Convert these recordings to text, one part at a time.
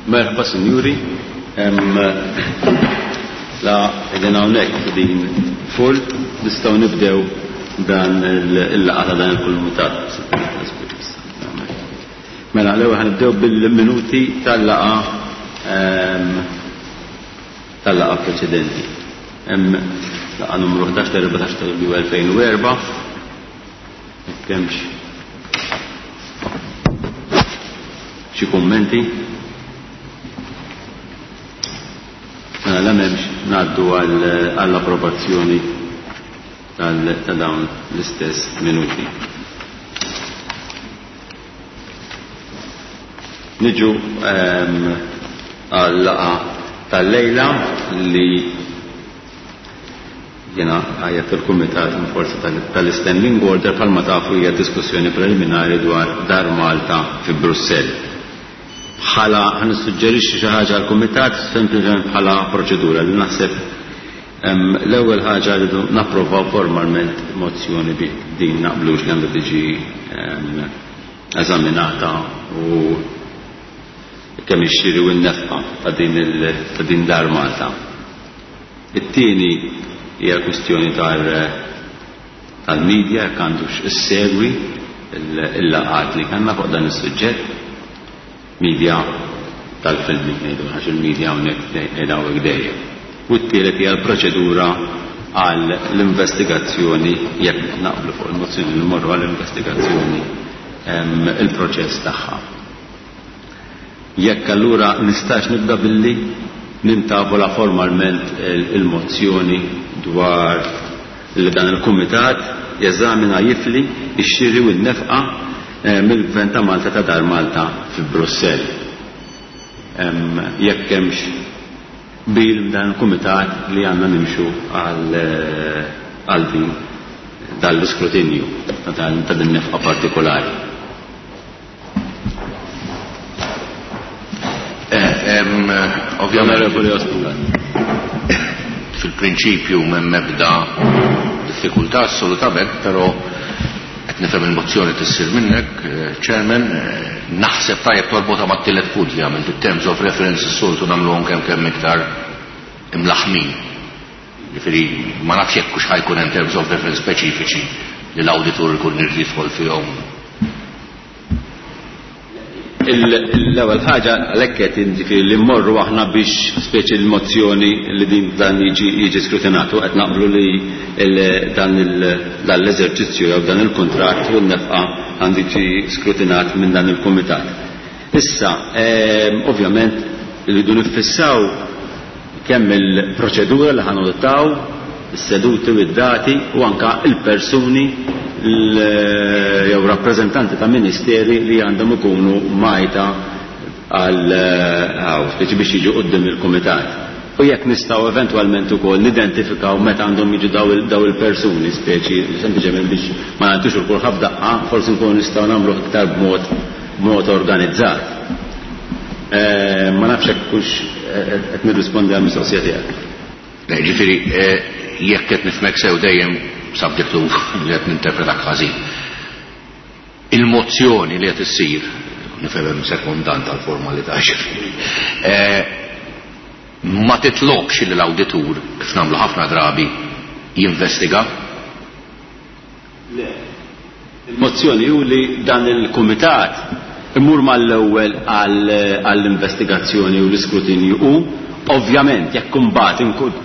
Merħba sinjuri. La qegħdin hawnhekk din full nistgħu nibdew dan il-laqgħa ta' dan il-kumitat. Mela l-ewwel ħanibdew bil-minuti tal-laqgħa tal-laqgħa preċedenti. Hemm laqgħa numru 11 tal-14 ta' Lulju 2004. Jekk hemmx xi kummenti? Mela la m'hemmx ngħaddu għall-approvazzjoni ta' dawn l-istess minuti. Niġu ehm, għal-laqa tal-lejla li Jiena għajjatt il-Kumitat in forza tal-Istanding Order bħalma tafu hija diskussjoni preliminari dwar Dar Malta fi Brussell. Bħala ħa nissuġġerixxi xi ħaġa għall-Kumitat sempliċement bħala proċedura li naħseb l-ewwel ħaġa rridu napprovaw formalment mozzjoni biex din naqblux li għandha tiġi eżaminata u kemm ix-xiri u n-nefqa ta' din ta' din Dar Malta. It-tieni hija l-kwistjoni tal-media jekk għandux issegwi l-laqgħat li kellna fuq dan is-suġġett. Media tal-filmi ngħidu għax il-media hawnhekk qiegħda hawnhekk dejjem. U t-tielet hija l-proċedura għal l-investigazzjoni jekk naqblu fuq il-mozzjoni li mmorru għall-investigazzjoni il-proċess tagħha. Jekk allura nistax nibda billi nintavola formalment il-mozzjoni dwar li dan il-Kumitat jeżamina jifli x-xiri u n-nefqa mill-Gvern ta' Malta ta' Dar Malta fi Brussell. Jekk hemmx qbil dan il-Kumitat li għandna nimxu għal din dan l-iskrutinju ta' din nefqa partikolari. Ovvjament, fil-prinċipju m'hemm ebda diffikultà assolutament, però qed nifhem il-mozzjoni tissir minnek, Chairman, naħseb tajjeb torbotha mat-tielet punt li għamilt, it-terms of reference is-soltu nagħmluhom kemm kemm iktar imlaħħmin. Jiġifieri ma nafx jekk hux ħa jkun hemm terms of reference speċifiċi li l-awditur ikun irid jidħol fihom. L-ewwel ħaġa għalhekk qed jiġifieri li mmorru aħna biex speċi l-mozzjoni li din dan jiġi jiġi skrutinat u qed naqblu li dan l-eżerċizzju jew dan il-kuntratt u n-nefqa għandu jiġi skrutinat minn dan il-kumitat. Issa, ovvjament, irridu niffissaw kemm il-proċedura li ħa nadottaw, is-seduti u d-dati u anke l-persuni jew rappreżentanti ta' ministeri li għandhom ikunu mgħajta għal hawn, speċi biex jiġu quddiem il-kumitat. U jekk nistgħu eventwalment ukoll nidentifikaw meta għandhom jiġu daw il-persuni, speċi sempliċement biex ma nagħtux il kulħadd f'daqqa, forsi nkunu nistgħu nagħmluh iktar b'mod b'mod organizzat. Ma nafx hekk hux qed nirrispondi għall-mistoqsija tiegħek. Le, jiġifieri jekk qed nifhmek sew dejjem subject to li qed ninterpretak ħażin. Il-mozzjoni li qed issir, nifhem hemm sekondant għall-formalità ġifieri, ma titlobx li l-awditur, kif nagħmlu ħafna drabi, jinvestiga. Le. Il-mozzjoni hu li dan il-kumitat imur mal-ewwel għall-investigazzjoni u l-iskrutinju u, ovvjament, jekk imbagħad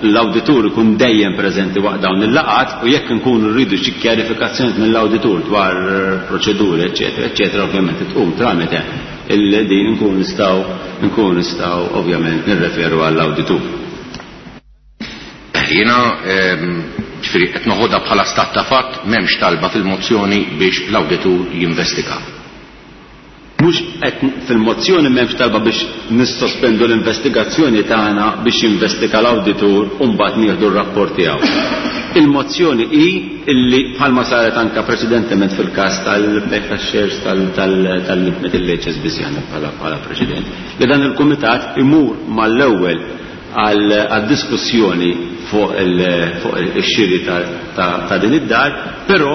l-awditur ikun dejjem preżenti waqt dawn il-laqgħat u jekk inkunu rridu xi kjarifikazzjonijiet mill-awditur dwar proċeduri, eċċetera, eċċetera, ovvjament tqum tramite din inkunu nistgħu nkunu nistgħu ovvjament nirreferu għall-awditur. Jiena, ġifieri qed noħodha bħala stat ta' fatt, m'hemmx talba fil-mozzjoni biex l-awditur jinvestiga. Mhux qed fil-mozzjoni m'hemmx talba biex nissospendu l-investigazzjoni tagħna biex jinvestiga l-awditur u mbagħad nieħdu r-rapport tiegħu. Il-mozzjoni hi illi bħalma saret anke preċedentement fil-każ tal-bejgħ tax-shares tal-HSBC għandna bħala preċedent, li dan il-kumitat imur mal-ewwel għad-diskussjoni fuq ix-xiri ta' din id-dar, però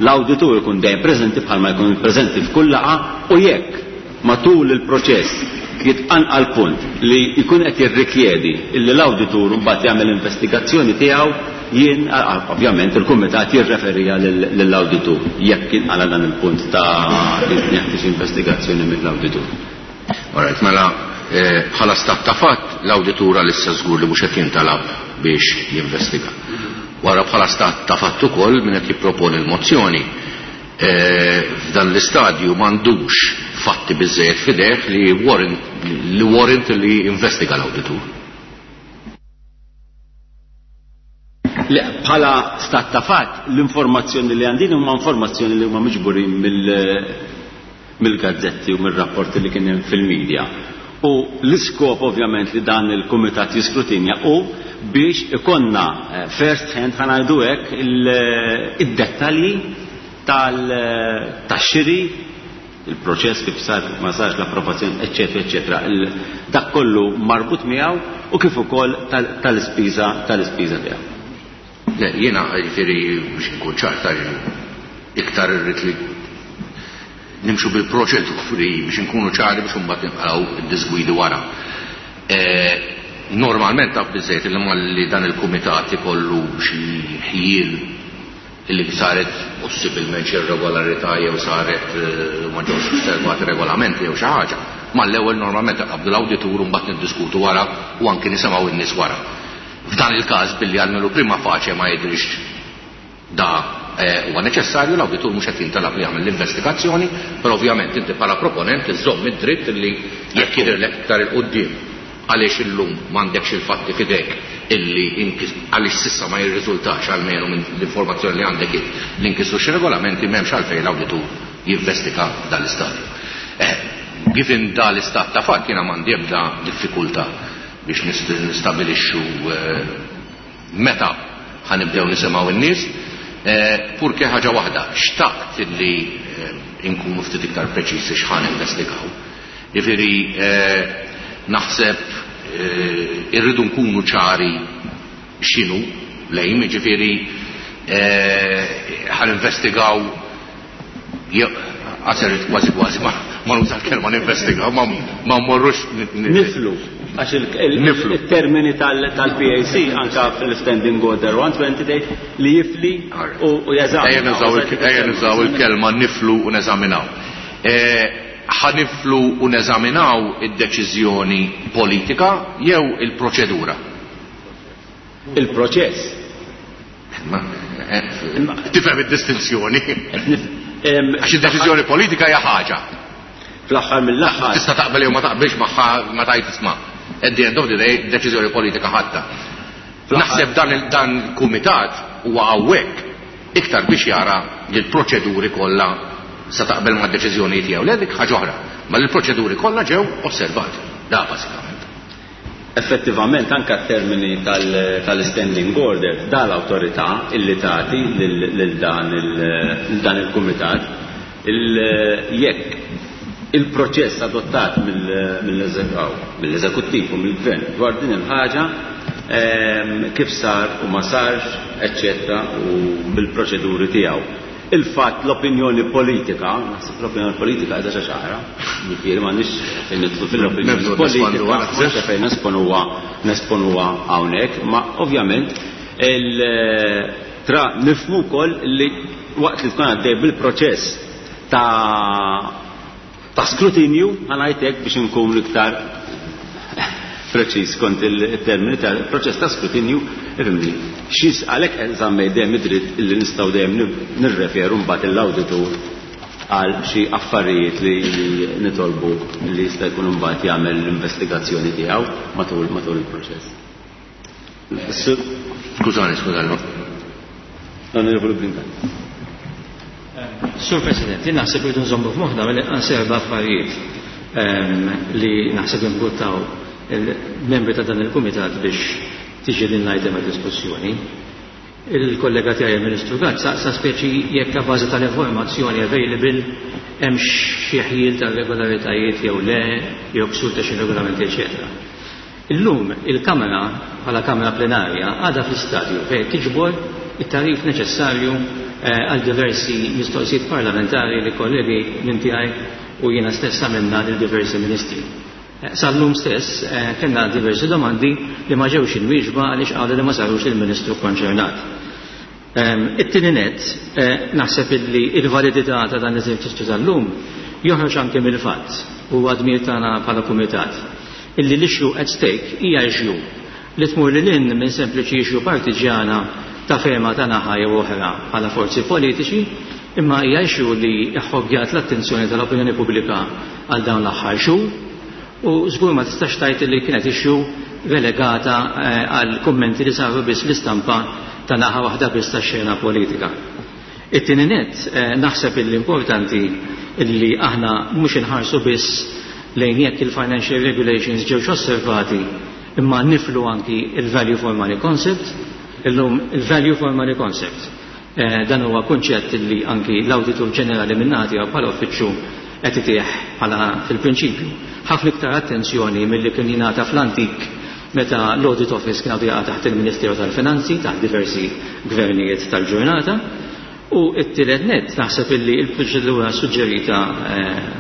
l-awditur ikun dejjem preżenti bħalma jkun preżenti f'kull laqgħa u jekk matul il-proċess. jitqanqal punt li jkun qed jirrikjedi illi l-awditur mbagħad jagħmel investigazzjoni tiegħu, jien ovvjament il-kumitat jirreferija lill-awditur jekk jinqala dan il-punt ta' li jeħtieġ investigazzjoni mill-awditur. Alright, mela bħala stat ta' fatt l-awditur għalissa żgur li mhux qed jintalab biex jinvestiga. Wara bħala stat ta' fatt ukoll min qed jipproponi l-mozzjoni f'dan l-istadju m'għandux fatti biżżejjed f'idejh li warrant li warrant li jinvestiga l-awditur. Le, bħala stat ta' fatt, l-informazzjoni li għandin huma informazzjoni li huma miġburin mill-gazzetti u mill-rapporti li kien hemm fil-medja. U l-iskop ovvjament li dan il-kumitat jiskrutinja hu biex ikollna first hand, ħa ngħidu hekk, id-dettalji tax-xiri, il-proċess kif sar, ma sarx l-approvazzjoni, eċċetera, eċċetera. Dak kollu marbut miegħu u kif ukoll tal-ispiża tal-ispiża tiegħu. Le, jiena jiġifieri biex inkun ċar ta' iktar irrid li nimxu bil-proċeduri biex inkunu ċari biex imbagħad nibqgħu id-disgwidi wara. Normalment taf biżżejjed li malli dan il-kumitat ikollu xi ħjiel li saret possibilment xi irregolarità jew saret ma ġewx osservati regolamenti jew xi ħaġa, mal-ewwel normalment iqabbdu l-awditur u mbagħad niddiskutu wara u anki nisimgħu n-nies wara. F'dan il-każ billi almenu prima facie ma jidhrix da huwa neċessarju, l-awditur mhux qed jintalab li jagħmel l-investigazzjoni, però ovvjament inti bħala proponent iżżomm id-dritt li jekk jidhirlek iktar 'il quddiem għaliex illum m'għandekx il-fatti f'idejk illi għaliex s'issa ma jirriżultax almenu minn l-informazzjoni li għandek int li nkisru xi regolamenti m'hemmx għalfejn l-awditur jinvestiga f'dan l-istadju. Given da l-istat ta' fatt jiena m'għandi ebda diffikultà biex nistabilixxu meta ħa nibdew nisimgħu n-nies, purché ħaġa waħda, xtaqt illi nkunu ftit iktar preċiżi x'ħa ninvestigaw. Jiġifieri naħseb irridu nkunu ċari x'inhu l-aim, jiġifieri ħa ninvestigaw għaser kważi kważi ma nuża l-kelma ninvestigaw, ma mmorrux Niflu, għax il-termini tal-PAC anka fil-Standing Order 120 tgħid li jifli u jeżamina. Ejja nużaw il-kelma niflu u neżaminaw. Ħa niflu u neżaminaw id-deċiżjoni politika jew il-proċedura? Il-proċess. Tifhem id-distinzjoni. Għax id-deċiżjoni politika hija ħaġa. Fl-aħħar mill-aħħar. Tista' taqbel jew ma taqbilx magħha ma tgħid isma'. At the end of the day, deċiżjoni politika ħadta. Naħseb dan il-kumitat huwa hawnhekk iktar biex jara li l-proċeduri kollha sa taqbel ma' deċiżjoni tiegħu. Le dik ħaġa oħra, ma l-proċeduri kollha ġew osservati. Da bażikament. Effettivament anka termini tal-standing order da l-awtorità illi tagħti lil dan il-kumitat jekk il-proċess adottat mill-eżekuttiv u mill-gvern dwar din il-ħaġa kif sar u ma sarx, eccetera, u bil-proċeduri tiegħu. Il-fatt l-opinjoni politika, naħseb l-opinjoni politika qiegħda xi ċara, jiġifieri m'għandniex fejn nidħlu fil-opinjoni politika, m'għandniex fejn nesponuha hawnhekk, ma ovvjament tra nifhmu wkoll li waqt li tkun għaddej bil-proċess ta' skrutinju, ħa ngħid hekk biex inkun iktar preċiż kont il-termini ta' proċess ta' skrutinju, ifhimni, xis għalhekk żammej dejjem id-dritt illi nistgħu dejjem nirreferu mbagħad l-awditur għal xi affarijiet li nitolbu li jista' jkun imbagħad jagħmel l-investigazzjoni tiegħu matul il-proċess. Skużani, skużani. L-Onorevoli Brincat. Sur President, jien naħseb li nżommu f'moħħna mill-inqas erba' affarijiet li naħseb imbuttaw il-membri ta' dan il-kumitat biex tiġi din l-item għad diskussjoni. Il-kollega tiegħi il-Ministru Gatt saqsa speċi jekk ta' bażi tal-informazzjoni available hemm xi ħjiel ta' regolaritajiet jew le, jew ksur ta' xi regolamenti, eċetera. Illum il-Kamra bħala Kamra Plenarja għadha fl-istadju fejn tiġbor it-tarif neċessarju għal diversi mistoqsijiet parlamentari li kollegi minn tiegħi u jiena stess għamilna lil diversi ministri. Sal-lum stess kellna diversi domandi li ma ġewx imwieġba għaliex qalu li ma sarux lill-Ministru kkonċernat. It-tieni nett, naħseb illi l-validità ta' dan l-eżerċizzju tal-lum joħroġ anke mill-fatt, u huwa dmir tagħna bħala Kumitat, illi l-issue at stake hija issue li tmur lil hinn minn sempliċi issue partiġġjana ta' fehma ta' naħa jew oħra bħala forzi politiċi, imma hija issue li ħħoggjat l-attenzjoni tal-opinjoni pubblika għal dawn l-aħħar xhur u żgur ma tistax tgħid li kienet issue relegata għal kummenti li saru biss fl-istampa ta' naħa waħda biss tax-xena politika. It-tieni nett, naħseb illi importanti illi aħna mhux inħarsu biss lejn jekk il-financial regulations ġewx osservati imma niflu anki il-value for money concept. Illum il-value for money concept dan huwa kunċett illi anki l-Awditur Ġenerali min-naħa tiegħu bħala uffiċċju qed itih bħala fil-prinċipju ħafna iktar attenzjoni milli kien jingħata fl-antik meta l-Audit Office kien għadu jaqa' taħt il-Ministeru tal-Finanzi taħt diversi gvernijiet tal-ġurnata. U t-tielet nett naħseb illi l-proċedura suġġerita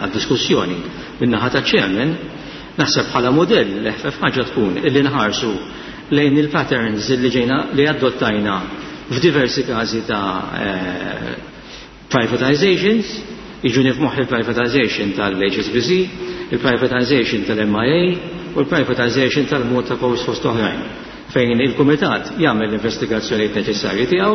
għad-diskussjoni min-naħa taċ-Chairman naħseb bħala mudell l-eħfef ħaġa tkun illi nħarsu lejn il-patterns illi ġejna li adottajna f'diversi każi ta' privatizations, jiġuni f'moħħi il-privatization tal-HSBC, il-privatization tal-MIA u l-privatization tal-Malta Post fost oħrajn, fejn il-Kumitat jagħmel l-investigazzjonijiet neċessarji tiegħu,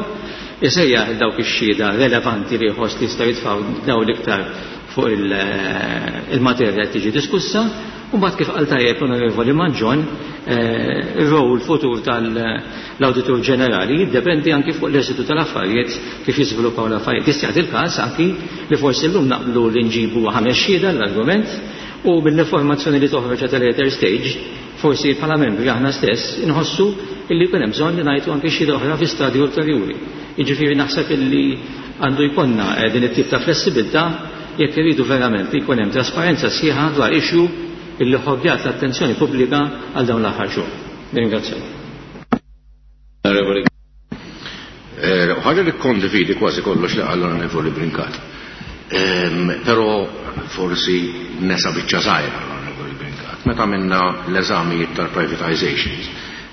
isejjaħ il dawk ix-xhieda relevanti li jħoss li jistgħu jitfgħu dawl iktar fuq il-materja li tiġi diskussa, u mbagħad kif qal tajjeb l-Onorevoli Mangion, ir-rol futur tal-Awditur Ġenerali jiddependi anki fuq l-eżitu tal-affarijiet kif jiżviluppaw l-affarijiet. Jista' jagħti l-każ anki li forsi llum naqblu li nġibu ħames xhieda l-argument u mill-informazzjoni li toħroġ at a later stage forsi bħala membri aħna stess inħossu illi jkun hemm bżonn li ngħidu anki xhieda oħra fi stadju ulterjuri. Jiġifieri naħseb illi għandu jkollna din it-tip ta' flessibilità jekk irridu verament li jkun hemm trasparenza sħiħa dwar issue illi ħobbjat l-attenzjoni pubblika għal dawn l-aħħar xhur. Nirringrazzjak. Ħaġa li kondividi kważi kollox li qal l-Onorevoli Brincat. Però forsi nesa biċċa żgħira l-Onorevoli Brincat. Meta minna l-eżamijiet tal-privatizations,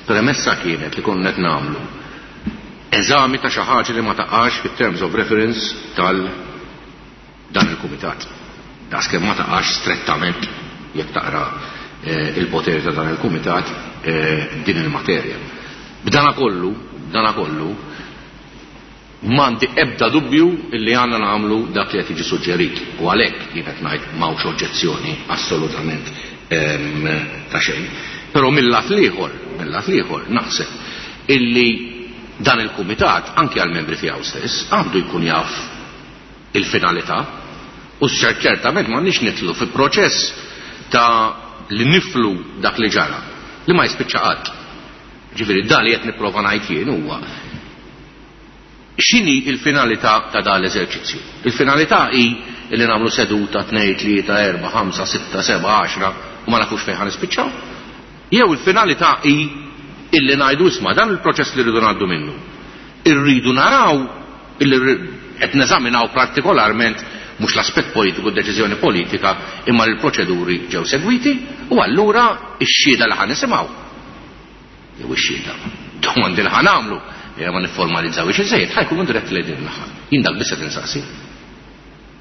premessa kienet li konna qed nagħmlu eżami ta' xi ħaġa li ma taqax fit-terms of reference tal dan il-kumitat. Daqskemm ma taqax strettament jekk taqra il-poteri ta' dan il-kumitat din il-materja. B'dana kollu, b'dana kollu, m'għandi ebda dubju illi għandna nagħmlu dak li qed jiġi suġġerit u għalhekk jien qed ngħid m'hawnx oġġezzjoni assolutament ta' xejn. Però mill-lat l-ieħor, mill-lat l-ieħor naħseb illi dan il-kumitat anke għall-membri tiegħu stess għandu jkun jaf il-finalità u ċertament m'għandniex nitlu fi proċess ta' li niflu dak li ġara li ma jispiċċa qatt. Ġifieri dan li qed nipprova ngħid jien huwa x'inhi il-finalità ta' dan l-eżerċizzju. Il-finalità hi li nagħmlu seduta 2, 3, 4, 5, 6, 7, 10 u ma nafux fejn ħanispiċċaw. Jew il-finalità hi illi ngħidu isma' dan il-proċess li rridu ngħaddu minnu. Irridu naraw illi qed neżaminaw partikolarment mhux l-aspett politiku, d-deċiżjoni politika, imma l-proċeduri ġew segwiti u allura x-xhieda li ħa nisimgħu. Jew ix-xhieda, domandi li ħa nagħmlu, jew ma nifformalizzawhiex iżejjed, ħa jkunu diretti lejn din il-naħa. Jien dak biss qed insaqsi.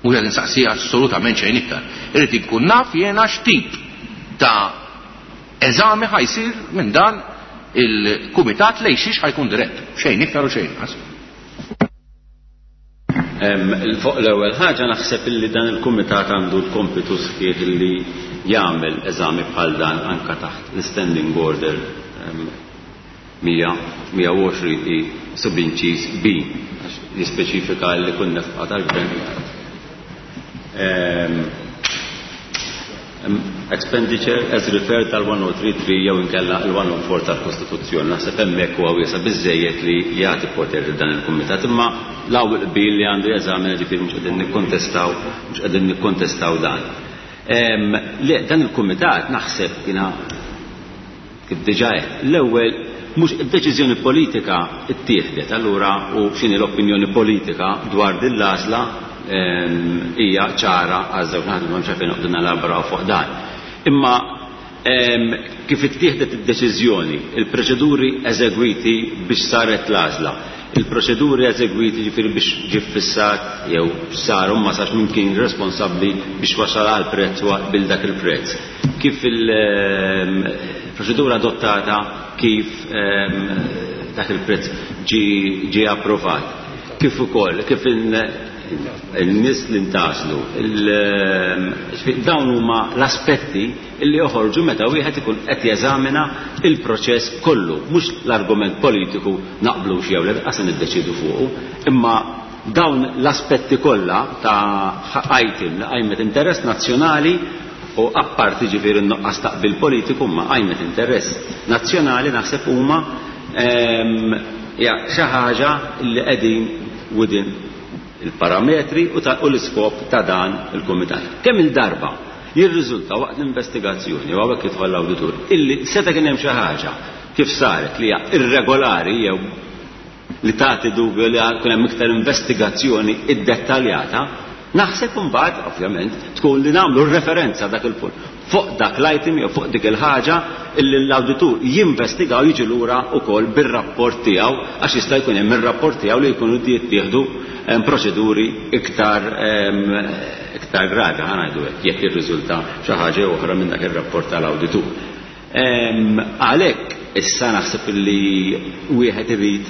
Mhux qed insaqsi assolutament xejn iktar. Irrid inkun naf jiena x'tip ta' eżami ħa jsir minn dan il-kumitat lejn xiex ħa jkun dirett. Xejn iktar u xejn inqas. Fuq l-ewwel ħaġa naħseb illi dan il-kumitat għandu l-kompitu sħiħ illi jagħmel eżami bħal dan anka taħt l-Standing Order 120 i subinċis B għax jispeċifika li kun nefqa tal-gvern. Expenditure as referred tal-1033 jew inkella l-104 tal-Kostituzzjoni. Naħseb hemmhekk huwa wiesa' biżejjed li jagħti poter lil dan il-kumitat, imma l-ewwel qbil li għandu jeżamina ġifieri mhux qegħdin nikkontestaw, mhux qegħdin nikkontestaw dan. Le, dan il-kumitat naħseb jiena kif diġà għedt, l-ewwel mhux id-deċiżjoni politika ttieħdet, allura u x'inhi l-opinjoni politika dwar din l-għażla hija ċara għaż-żewġ naħat, m'hemmx għalfejn noqogħdu nelaboraw fuq dan. Imma Kif ittieħdet id-deċiżjoni, il-proċeduri eżegwiti biex saret l-għażla, il-proċeduri eżegwiti ġifieri biex ġie ffissat jew sar u ma sarx min kien responsabbli biex wasal għal prezz u qbil dak il-prezz. Kif il-proċedura adottata kif dak il-prezz ġie approvat. Kif ukoll kif in-nies li ntgħażlu. Dawn huma l-aspetti li joħorġu meta wieħed ikun qed jeżamina l-proċess kollu, mhux l-argument politiku naqblux jew le, lanqas se niddeċiedu fuqu, imma dawn l-aspetti kollha ta' item li qajmet interess nazzjonali u apparti ġifieri n-nuqqas ta' qbil politiku imma qajmet interess nazzjonali naħseb huma hija xi ħaġa li qegħdin within il-parametri u l-iskop ta' dan il-kumitat. Kemm-il darba jirriżulta waqt l-investigazzjoni, u hawnhekk jidħol l-awditur, illi seta' kien hemm xi ħaġa kif saret li hija irregolari jew li tagħti dubju li jkun hemm iktar investigazzjoni iddettaljata, naħseb imbagħad ovvjament tkun li nagħmlu referenza dak il-punt fuq dak l-item jew fuq dik il-ħaġa illi l-awditur jinvestiga u jiġi lura wkoll bir-rapport tiegħu għax jista' jkun hemm ir-rapport tiegħu li jkunu jittieħdu proċeduri iktar iktar gravi ħa ngħidu hekk jekk jirriżulta xi ħaġa jew oħra minn dak ir-rapport tal-awditur. Għalhekk issa naħseb illi wieħed irid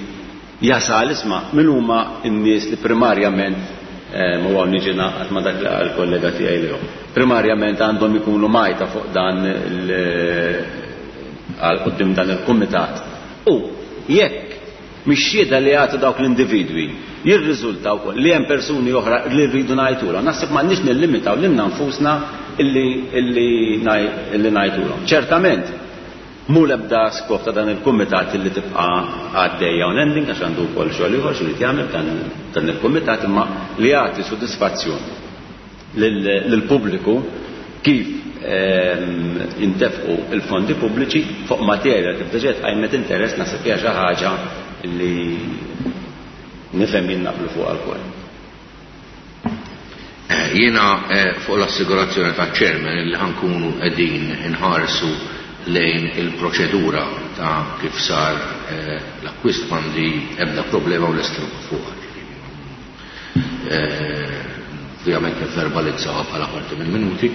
jasal isma' min huma n-nies li primarjament u hawn niġi naqgħad ma' dak li qal kollega tiegħi Leo. Primarjament għandhom ikunu majta fuq dan għal quddiem dan il-kumitat. U jekk mix-xhieda li jagħtu dawk l-individwi jirriżulta wkoll li hemm persuni oħra li rridu ngħidulhom, naħseb m'għandniex nillimitaw lilna nfusna illi illi illi ngħidulhom. Ċertament, Mhu l-ebda skop ta' dan il-kumitat li tibqa' għaddejja unending għax għandu wkoll xogħol ieħor x'irid jagħmel dan il-kumitat imma li jagħti sodisfazzjon lill-pubbliku kif jintefqu l-fondi pubbliċi fuq materja kif diġà tqajmet interess naħseb hija xi ħaġa li nifhem jien naqblu fuqha lkoll. Jiena fuq l-assigurazzjoni taċ-Chairman illi ħa nkunu qegħdin inħarsu lejn il-proċedura ta' kif sar l-akkwist m'għandi ebda problema u lest nibqa' fuqha. Ovvjament nivverbalizzawha bħala parti mill-minuti,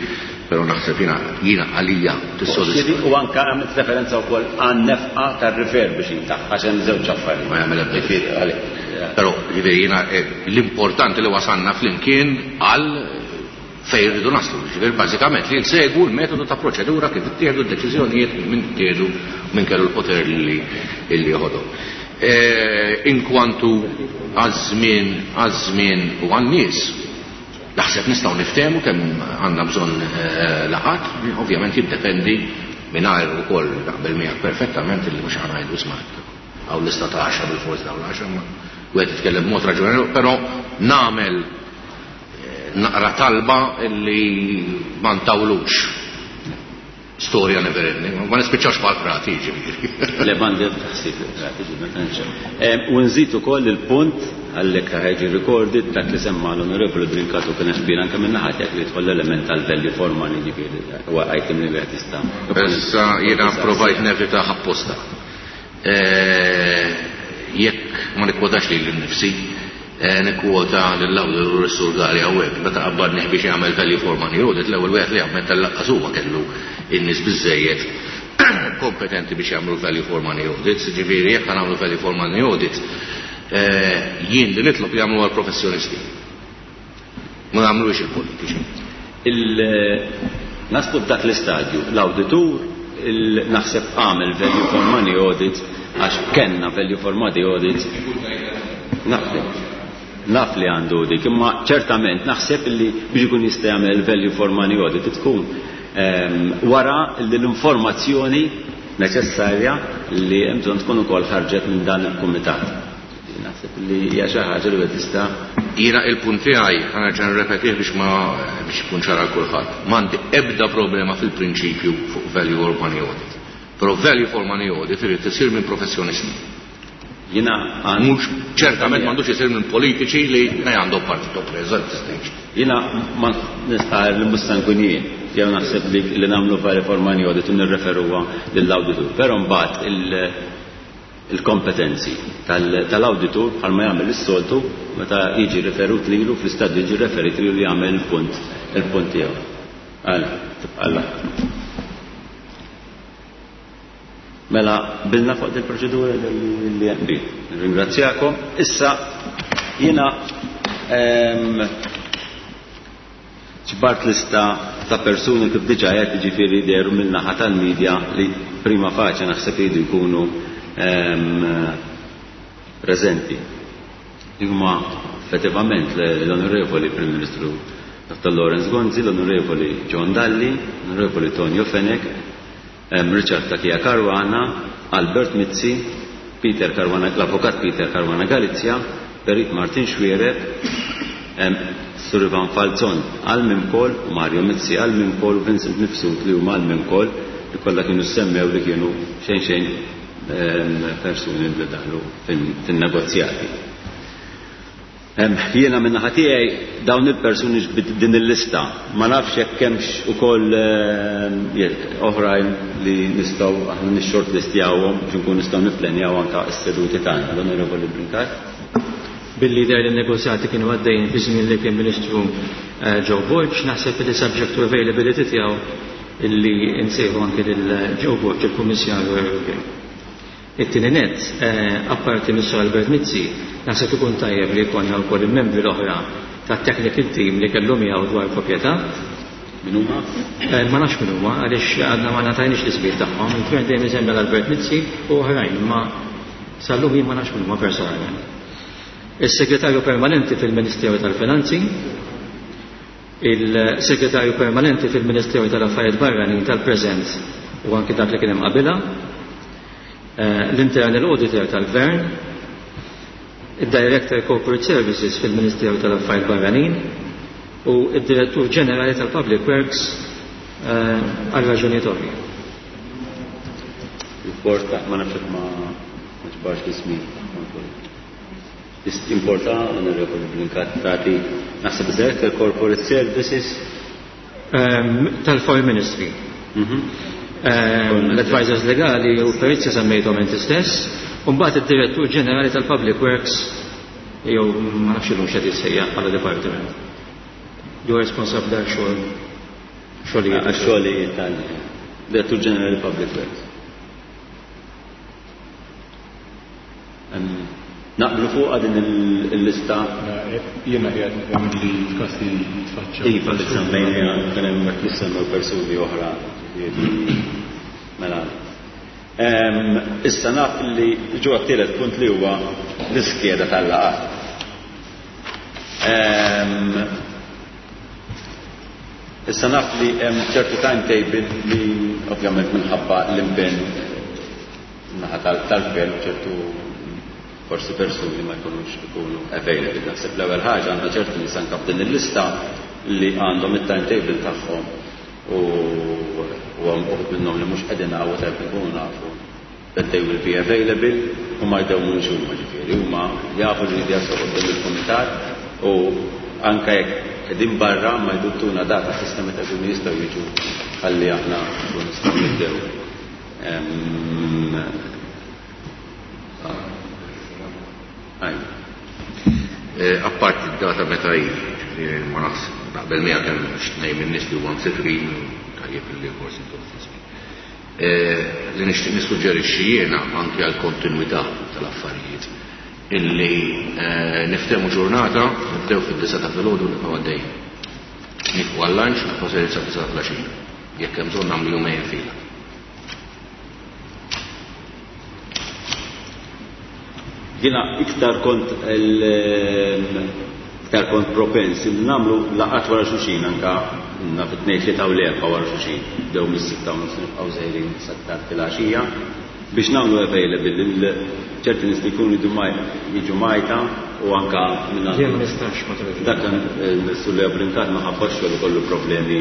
però naħseb jiena jiena għalija tissodisfa. U anke għamilt referenza wkoll għan-nefqa tar-refurbishing tagħha għax hemm żewġ affarijiet. Ma jagħmel ebda differenza. Però jiġifieri jiena l-importanti li wasalna flimkien għal fejn irridu naslu. Jiġifieri bażikament li nsegwu l-metodu ta' proċedura kif ittieħdu d-deċiżjonijiet minn ittieħdu minn kellu l-poter li joħodhom. Inkwantu għaż-żmien għaż-żmien u għan-nies, naħseb nistgħu niftehmu kemm għandna bżonn laqgħat, ovvjament jiddependi mingħajr ukoll naqbel miegħek perfettament illi mhux ħa ngħidu isma' hawn lista ta' għaxra bilfors dawn l-għaxra, imma wieħed jitkellem b'mod raġonevoli, però nagħmel naqra talba li ma ntawlux storja never ending, ma nispiċċawx bħal prati ġifieri. Le m'għandi ebda ħsieb li prati ġifieri ma tantx hemm. U nżid ukoll il-punt għalhekk ħa jiġi recorded dak li semma l-Onorevoli Brincat u kien hemm qbil anke min-naħa tiegħek li jidħol l-element tal-value for money ġifieri huwa item li wieħed jista' Issa jiena pprovajt nevitah apposta. Jekk ma nikkwotax lili nnifsi, nikkwota lill-awtur is-Sur Galea hawnhekk, meta qabbadnih biex jagħmel value for money audit, l-ewwel wieħed li ammetta li lanqas huwa kellu n-nies biżżejjed kompetenti biex jagħmlu value for money audits. Jiġifieri jekk ħa nagħmlu value for money audit, jien li nitlob li jagħmluha l-professjonisti. Ma nagħmluhiex il-politiċi. Naslu f'dak l-istadju. L-awditur naħseb għamel value for money audit għax kellna value for money audit. Naf li naf li għandu dik, imma ċertament naħseb li biex ikun jista' jagħmel value for money audit tkun wara li l-informazzjoni neċessarja li hemm bżonn tkun ukoll ħarġet minn dan il-kumitat. Naħseb li hija xi ħaġa li wieħed jista'. Jiena il-punt tiegħi, ħa nerġa' nirrepetih biex ma biex ikun ċar għal kulħadd. M'għandi ebda problema fil-prinċipju fuq value or money audit. Però value for money audit irid isir minn professjonisti. Jiena għand. Mhux ċertament m'għandux isir minn politiċi li għandhom partito preso at this stage. Jiena ma nistqarr li mhux se nkun jien. tiegħu naħseb li li nagħmlu value for money audit u nirreferuha lill-awditur. Però mbagħad il-kompetenzi tal-awditur bħalma jagħmel is-soltu meta jiġi riferut lilu fl-istadju jiġi referit lilu jagħmel il-punt il-punt tiegħu. Għala, tibqa' Mela bilna fuq il proċedura li qbil. Ringrazzjakom. Issa jiena ġbart lista ta' persuni kif diġà qed jiġifieri dehru min-naħa tal-media li prima facie naħseb iridu jkunu preżenti. Li huma effettivament l-Onorevoli Prim Ministru Dr. Lawrence Gonzi, l-Onorevoli John Dalli, l-Onorevoli Tonio Fenech, Richard Cachia Caruana, Albert Mizzi, Peter Caruana, l-Avukat Peter Caruana Galizia, Perit Martin Xuereb, Sur Ivan Falzon għal Mimkol u Mario Mizzi għal Mimkol u Vincent Mifsud li huma għal Mimkol li kollha kienu semmew li kienu xejn xejn persuni li daħlu fin-negozjati. Jiena min-naħa tiegħi dawn il-persuni ġbidt din il-lista. Ma nafx jekk hemmx ukoll oħrajn li nistgħu aħna nixshortlistjawhom biex inkunu nistgħu nipplenjaw anke s-seduti tagħna. L-Onorevoli Brincat. Billi jidher li n-negozjati kienu għaddejjin fi żmien li kien Ministru Joe Borg, naħseb li subject to availability tiegħu illi nsejħu anke lil Joe Borg, il-Kummissarju Ewropew. It-tieni nett, apparti mis-Sur Albert Mizzi, naħseb ikun tajjeb li jkollna wkoll il-membri l-oħra tat-technical team li kellu miegħu dwar proprjetà. Min huma? Ma nafx min huma għaliex għadna ma ngħatajniex l-ismijiet tagħhom. Il-Gvern dejjem isemmi l Albert Mizzi u oħrajn, imma sal-lum jien ma nafx min huma personalment. Is-Segretarju Permanenti fil-Ministeru tal-Finanzi, il-Segretarju Permanenti fil-Ministeru tal-Affarijiet Barranin tal-preżent u anki dak li kien hemm qabilha, l-Internal Auditor tal-Gvern, id-Director Corporate Services fil-Ministeru tal-Affarijiet Barranin u d-Direttur Ġenerali tal-Public Works għal raġunijiet ovvji. Importa, ma nafx ma ġbarx l-ismijiet tagħhom kollha. Importa, Onorevoli Brincat, tagħti naħseb Director Corporate Services Tal-Foreign Ministry. L-advisors legali u perizja semmejthom inti stess, u mbagħad id-Direttur Ġenerali tal-Public Works jew ma nafx illum x'qed jissejjaħ bħala departiment. Li huwa responsabbli għal xogħol xogħlijiet. Għax-xogħlijiet tal-Direttur Ġenerali Public Works. Naqblu fuqha din il-lista? Jiena qiegħed nifhem li f'każ li jitfaċċaw. Iva, li semmejniha kien hemm qed jissemmew persuni oħra, ġifieri mela. Issa naf li ġo għat-tielet punt li huwa l-iskeda tal-laqgħat. Issa naf li hemm ċertu timetable li ovvjament minħabba l-impenn naħa tal-gvern u ċertu forsi persuni ma jkunux ikunu available. Naħseb l-ewwel ħaġa għandna ċertu nies anke f'din il-lista li għandhom it-timetable tagħhom u hemm uħud minnhom li mhux qegħdin hawn u tajjeb inkunu nafu that they will be available u ma jdewmux huma ġifieri huma jafu li jridu jaslu quddiem il-kumitat u anke jekk qegħdin barra ma jduttuna data fissa meta jkunu jistgħu jiġu ħalli aħna nkunu nistgħu nibdew. Apparti d-data meta hi, ġifieri ma nafx naqbel miegħek hemm xi tnejn min-nies li huma msifrin tajjeb li forsi ntuh ftit żmien. Li nixtieq nissuġġerixxi jiena anke għall-kontinwità tal-affarijiet illi niftehmu ġurnata, nibdew fid-disgħa ta' filgħodu u nibqgħu għaddejjin. Nieqfu għal-lunch u nibqgħu sejrin sad-disgħa ta' filgħaxija. Jekk hemm bżonn nagħmlu jumejn fila. Jiena iktar kont iktar kont propens li nagħmlu laqgħat wara xulxin anka naf it-tnejn tlieta u l-erbgħa wara xulxin. Nibdew mis-sitta u nofs nibqgħu sejrin sa tard filgħaxija biex nagħmlu available lil ċerti nies li jkunu jridu jiġu Malta u anka minn Jien ma nistax ma tridx. Dak Sur Leo Brincat minħabba x-xogħol ikollu problemi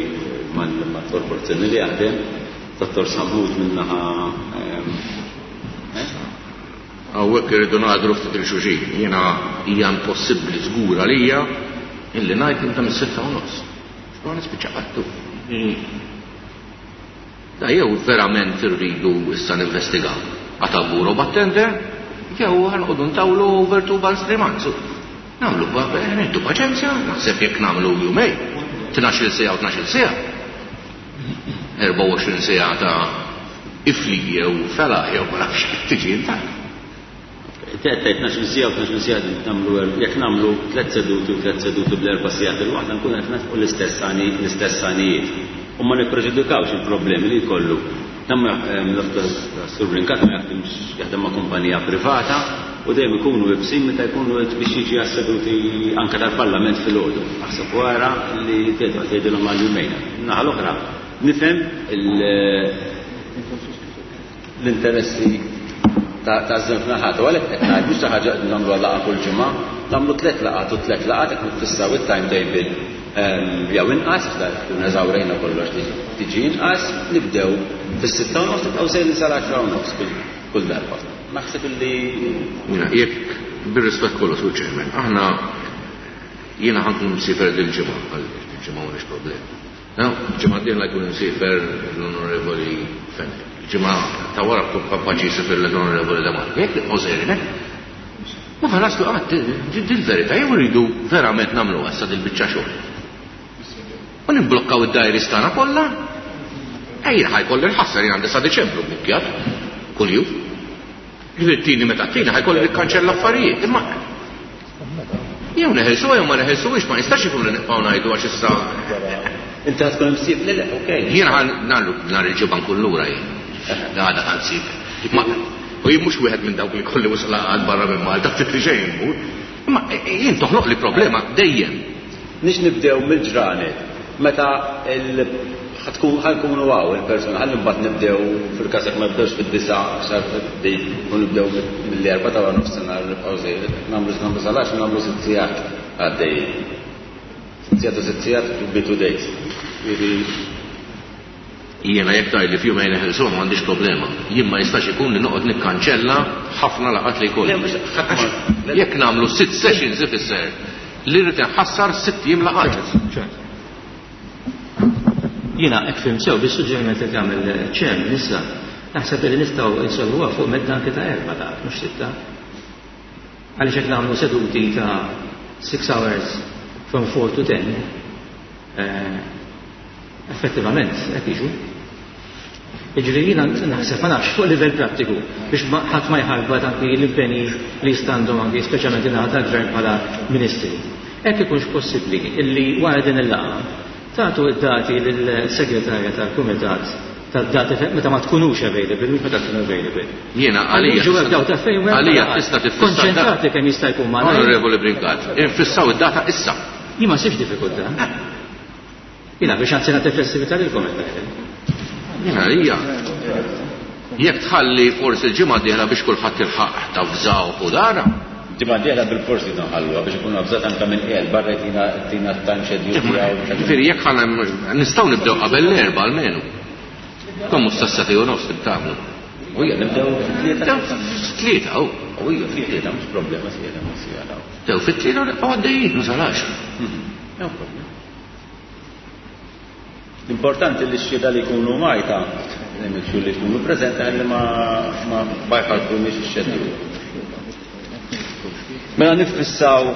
mal-korporazzjoni li jaħdem. Dottor Sammut min-naħa Hawnhekk irridu nagħdru ftit lil xulxin. Jiena hija impossibbli żgur għalija illi ngħid nibda mis-sitta u nofs. Ma nispiċċa qatt. Da jew verament irridu issa ninvestigaw. Għataburu battender, jew ħanqodu ntawlu over 2 months, 3 months. Nagħmlu nieħdu paċenzja, naħseb jekk nagħmlu jumej, 12-il siegħa u 12-il siegħa. 24 siegħa ta' ifli jew fela jew ma nafx kif tiġi intant. Tgħid 12 siegħa u 12 siegħa nagħmlu jekk nagħmlu tliet seduti u tliet seduti bl-erba' sigħat il-waħda nkun qed nilħqu l-istess l-istess għanijiet. U ma nippreġudikawx il-problemi li jkollu. Dan Sur Brincat ma jaħdimx jaħdem ma' kumpanija privata u dejjem ikunu ibsin meta jkunu biex jiġi għas-seduti anke tal-Parlament filgħodu. Aħseb wara li tgħidilhom għal jumejn. Naħa l-oħra nifhem l-interessi ta' żewġ naħat. U għalhekk qed ngħid mhux xi ħaġa qed nagħmlu laqgħa kull ġimgħa, nagħmlu tliet laqgħat u tliet laqgħat qed niffissaw it-timetable jew inqas, għax tkun eżawrejna kollox tiġi inqas, nibdew fis-6:30 nibqgħu sejrin sal-10:30 kull darba. Naħseb illi Jekk bir-rispett kollu Sur Chairman, aħna jiena ħa nkun msiefer dil-ġimgħa, għal-ġimgħa m'għandix problema. Ġimgħa d-dieħla jkun imsiefer l-Onorevoli Fenech. Ġimgħa ta' wara tkun kapaċi jsiefer l-Onorevoli De Marco. Jekk nibqgħu sejrin hekk, ma ħa naslu qatt dil-verità jew irridu verament nagħmluha issa dil-biċċa xogħol. U nimblokkaw id-diaries tagħna kollha. Ejja ħajkolli nħassar jien għandi sa Diċembru bbukkjat kuljum. Ġifieri tini meta tini ħajkolli nikkanċella affarijiet, imma jew neħilsu jew ma neħilsuhiex ma nistax ikun li nibqgħu ngħidu għax issa. Inti ħa tkun imsieb le le, okej. Jiena ħa nagħmlu nhar il-ġimgħa nkun lura jien. Għada ħa nsib. U jien mhux wieħed minn dawk li kolli wisq laqgħat barra minn Malta ftit li xejn immur. Imma jien toħloq li problema dejjem. Nix nibdew mill-ġranet meta ħa nkunu hawn il-persuna, ħalli mbagħad nibdew fil-każ jekk ma nibdewx fid-9 xar u nibdew mill-4 ta' wara nofsinhar nibqgħu sejrin. Nagħmlu nagħmlu sal-10 nagħmlu sitt sigħat għaddejjin. Sitt sigħat u sitt sigħat to be two days. Jiġifieri Jiena jekk tgħidli f'jumejn neħilsuha m'għandix problema. Jien ma jistax ikun li noqgħod nikkanċella ħafna laqgħat li jkolli. Jekk nagħmlu sitt sessions ifisser li rrid inħassar sitt ijiem laqgħat. Jiena hekk fhimt sew bis-suġġeriment li tagħmel Chairman issa, naħseb li nistgħu insolvuha fuq medda anke ta' erba' laqgħat mhux sitta. Għaliex jekk nagħmlu seduti ta' six hours from 4 to 10, effettivament hekk jiġu. Jiġifieri jiena naħseb ma nafx fuq livell prattiku biex ħadd ma jħarbat anki l-impenji li jistgħandhom anki speċjalment in-naħa tal-gvern bħala ministri. Hekk ikunx possibbli illi wara din il-laqgħa tagħtu id-dati lill-segretarja tal-kumitat tad-dati meta ma tkunux available, mhux meta tkunu available. Jiena għalija. Ġu hemm dawk ta' fejn Għalija tista' tiffissa. Konċentrati kemm jista' jkun ma' Onorevoli Brincat, infissaw id-data issa. Jien ma nsibx diffikultà. Jiena biex anzi nagħti flessibilità lilkom qed ngħidlek. Jiena għalija. Jekk tħalli forsi l-ġimgħa d-dieħla biex kulħadd ilħaq tavżaw u dara. Ġimgħa d-dieħla bil-forsi nħalluha biex ikunu avżat anke minn qiegħed barra jtina tina t-time schedule tiegħu. Ġifieri jekk ħa nistgħu nibdew qabel l-erba' almenu. Kemm mhux sas-sagħtej u nofs tagħmlu. U hija nibdew fit-tlieta. Tlieta, u. U hija fit-tlieta mhux problema tlieta mhux sigħa. Nibdew fit-tlieta u nibqgħu għaddejjin sa l-għaxra. No problem. L-importanti li x-xhieda li jkunu Malta, li jkunu preżenti ħalli ma ma jħarbrunix ix-xedju. Mela niffissaw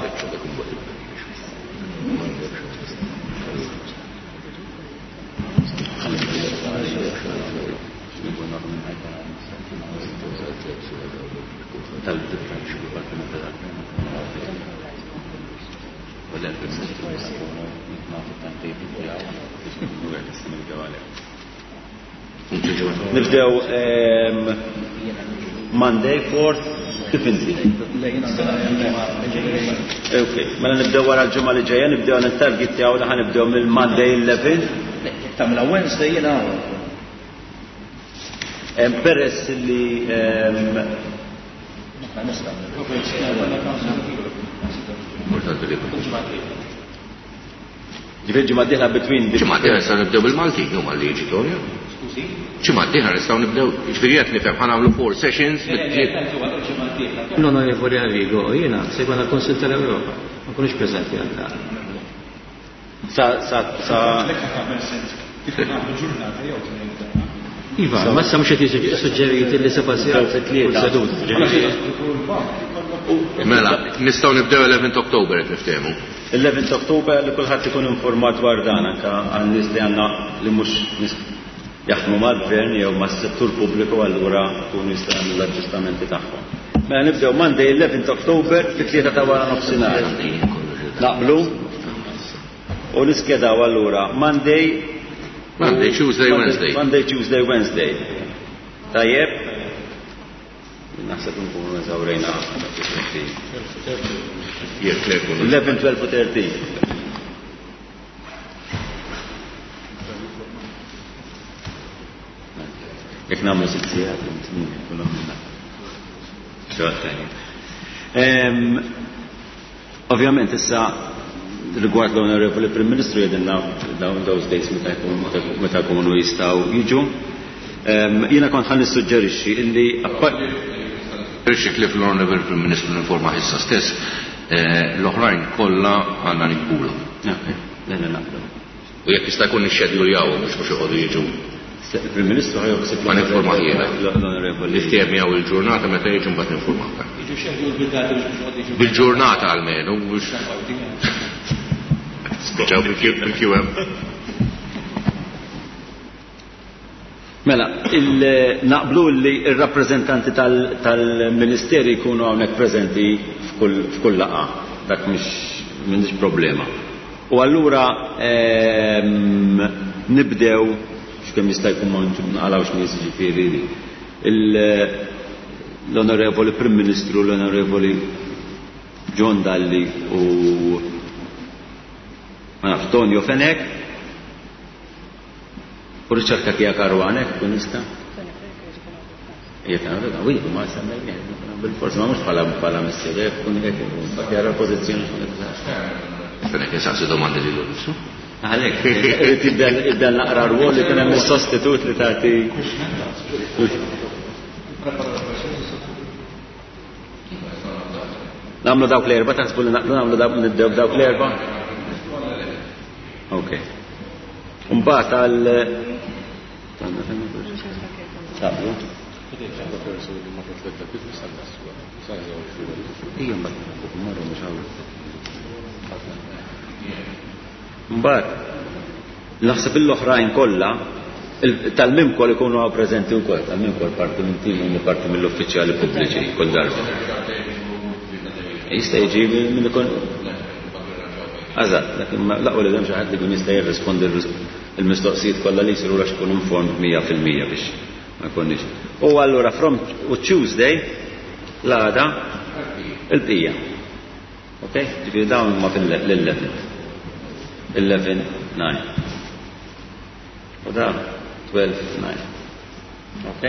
Nibdew Monday 4th, kif inti? Ok, mela nibdew wara l-ġimgħa li ġejja, nibdew nittarget tiegħu li ħanibdew mill-Monday 11. Tagħmilha Wednesday jiena Peress li Ġifieri ġimgħa d-dieħla between Ġimgħa d-dieħla nistgħu nibdew bil-Maltin huma li jiġi Tonio. Skużi? Ġimgħa d-dieħla nistgħu nibdew, ġifieri qed nifhem ħa nagħmlu four sessions L-Onorevoli Arrigo, jiena se jkollna l-Kunsill tal-Ewropa, ma nkunux preżenti għal dan. Sa sa sa. Iva, ma issa mhux qed jiġi suġġerit li seba' sigħat kull seduta. Mela, nistgħu nibdew 11 October qed niftehmu. 11 October li kulħadd ikun informat dwar dan anke għan-nies li għandna li mhux nies jaħdmu mal-gvern jew mas-settur pubbliku allura jkunu jistgħu jagħmlu l-aġġustamenti tagħhom. Mela nibdew Monday 11 October fit-3 ta' wara nofsinhar. Naqblu? U niskedaw allura Monday Monday, Tuesday, Wednesday. Monday, Tuesday, Wednesday. Tajjeb? Naħseb nkunu eżawrejna. Jekk le jkunu. 11, 12 u 13. Jekk nagħmlu sitt sigħat, tmien, nkunu għamilna. Xogħol tajjeb. Ovvjament issa rigward l-Onorevoli Prim Ministru jgħidilna dawn those days meta meta jkunu jistgħu jiġu. Jiena kont ħa nissuġġerixxi illi Suġġerixxi ħlief l-Onorevoli Prim Ministru ninformah issa stess, l-oħrajn kollha għandna nikbulhom. Ok, le le naqblu. U jekk jista' jkun nixxedjuljawhom biex mhux joqogħdu jiġu. Il-Prim Ministru ħa joħsib Ma ninformah jiena. L-Onorevoli. Niftiehem miegħu il-ġurnata meta jiġu mbagħad ninformah. Jiġu scheduled bil-data biex mhux joqogħdu jiġu. Bil-ġurnata almenu biex. Spiċċaw bil-QM. Mela, naqblu li r-rappreżentanti tal-Ministeri jkunu hawnhekk preżenti f'kull laqgħa. Dak mhix m'għandix problema. U allura nibdew x'kemm jista' jkun ma nqalgħux nies jiġifieri l-Onorevoli Prim Ministru, l-Onorevoli John Dalli u ma nafx Tonio Fenech u Richard Cachia Caruana, jekk ikun jista'. Jekk għandu dan, u ma semmejnieh, bil-forsi ma mhux bħala bħala missier, jekk ikun jekk ikun, mbagħad jara l-pożizzjoni Fenech insaqsi domandi lilu nnifsu. Għalhekk, irid jibda naqra rwol li kien hemm is-sostitut li tagħti. Nagħmlu dawk l-erba', taħsbu li naqblu nagħmlu dawk nibdew b'dawk l-erba'? Ok. Mbagħad għal Taqblu? Ija mbagħad marru mhux hawn. Mbagħad naħseb l-oħrajn kollha tal-Mimcol ikunu hawn preżenti wkoll, tal-Mimcol parti minn tim u parti mill-uffiċjali pubbliċi kull darba. Jista' jiġi minn ikun Eżatt, dak imma l-aqwa li hemm xi ħadd li jkun jista' jirrispondi l-mistoqsijiet kollha li jsiru għax ikun informed 100% biex ma jkunniex. U allura from u Tuesday l-għada il-bqija. Ok? Ġifieri dawn huma fil-11. 11, 9. U da 12, 9. Ok?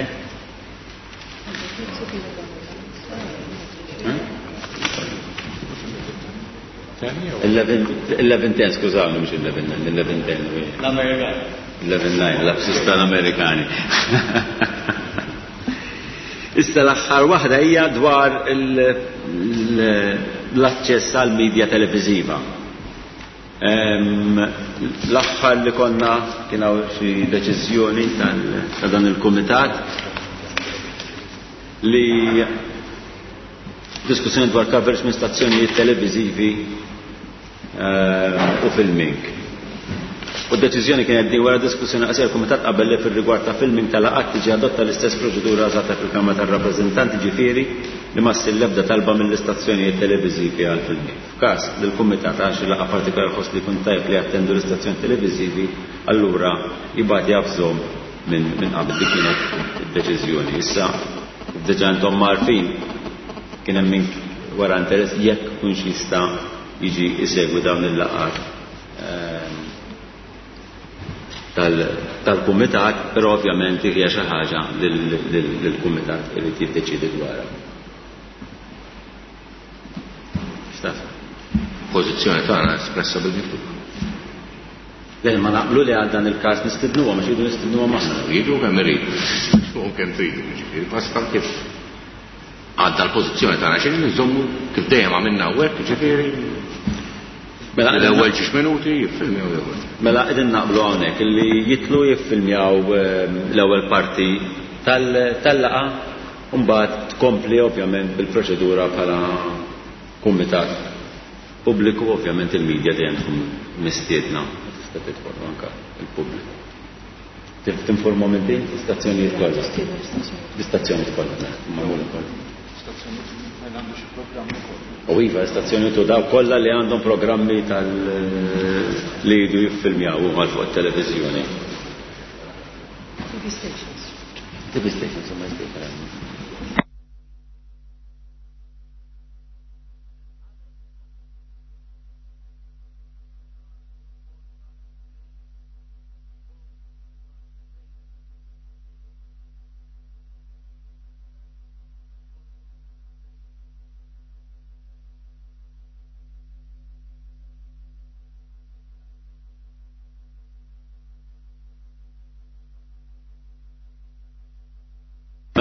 11, 10, skużawni, mhux 11, 9, 11, 10. L-Amerikani. 11, 9, lapsus tal-Amerikani. Issa l-aħħar waħda hija dwar l-aċċess għal media televiżiva. L-aħħar li konna kien hawn xi deċiżjoni ta' dan il-kumitat li diskussjoni dwar coverage minn stazzjonijiet televiżivi u filming. U d-deċiżjoni kienet din wara diskussjoni qasira l-Kumitat qabel li fir-rigward ta' filming tal-laqgħat tiġi adotta l-istess proċedura użata fil-Kamra tar-Rappreżentanti, ġifieri li ma ssir l-ebda talba mill-istazzjonijiet televiżivi għal filming. F'każ li l-Kumitat għal xi laqgħa partikolari jħoss li jkun tajjeb li jattendu l-istazzjoni televiżivi, allura jibgħat javżhom minn qabel. Dik kienet id-deċiżjoni. Issa, kif diġà intom għarfin, kien hemm min wara interess jekk ikunx jista' jiġi jsegwi dawn il-laqgħat tal-kumitat, però ovvjament hija xi ħaġa li l-kumitat irid jiddeċiedi dwarha. X'taħseb? Pożizzjoni tagħna espressa bil-miktub. Le, ma naqblu li għal dan il-każ nistidnuhom, għax iridu nistidnuhom aħna. Jiġu kemm iridu, fuqhom kemm tridu, jiġifieri, basta kif għadda l-pożizzjoni tagħna xejn nżommu kif dejjem għamilna hawnhekk, jiġifieri. Mela, L-ewwel ġiex minuti jiffilmjaw l-ewwel. Mela qegħdin naqblu hawnhekk li jitlu jiffilmjaw l-ewwel parti tal-laqgħa u mbagħad tkompli ovvjament bil-proċedura bħala kumitat pubbliku, ovvjament il-media dejjem tkun mistiedna, tista' tidħol anke il-pubbliku. Tinformhom inti l-istazzjonijiet kollha. L-istazzjonijiet kollha, mela, magħmula kollha. U iva, l-istazzjonijiet u dawk kollha li għandhom programmi tal li jridu jiffilmjaw huma fuq it-televiżjoni. TV stations. TV stations, huma jistgħu.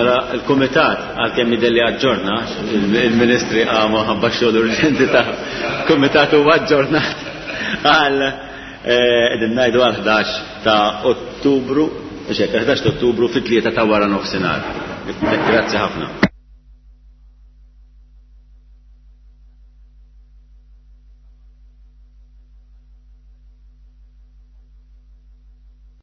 Mela l-Kumitat għalkemm jidher li aġġorna, il-Ministri qamu ħabba xogħol urġenti ta' Kumitat huwa aġġornat għal qegħdin ngħidu għal 11 ta' Ottubru, mhux hekk, 11 ta' Ottubru fit-3 ta' wara nofsinhar. Grazzi ħafna.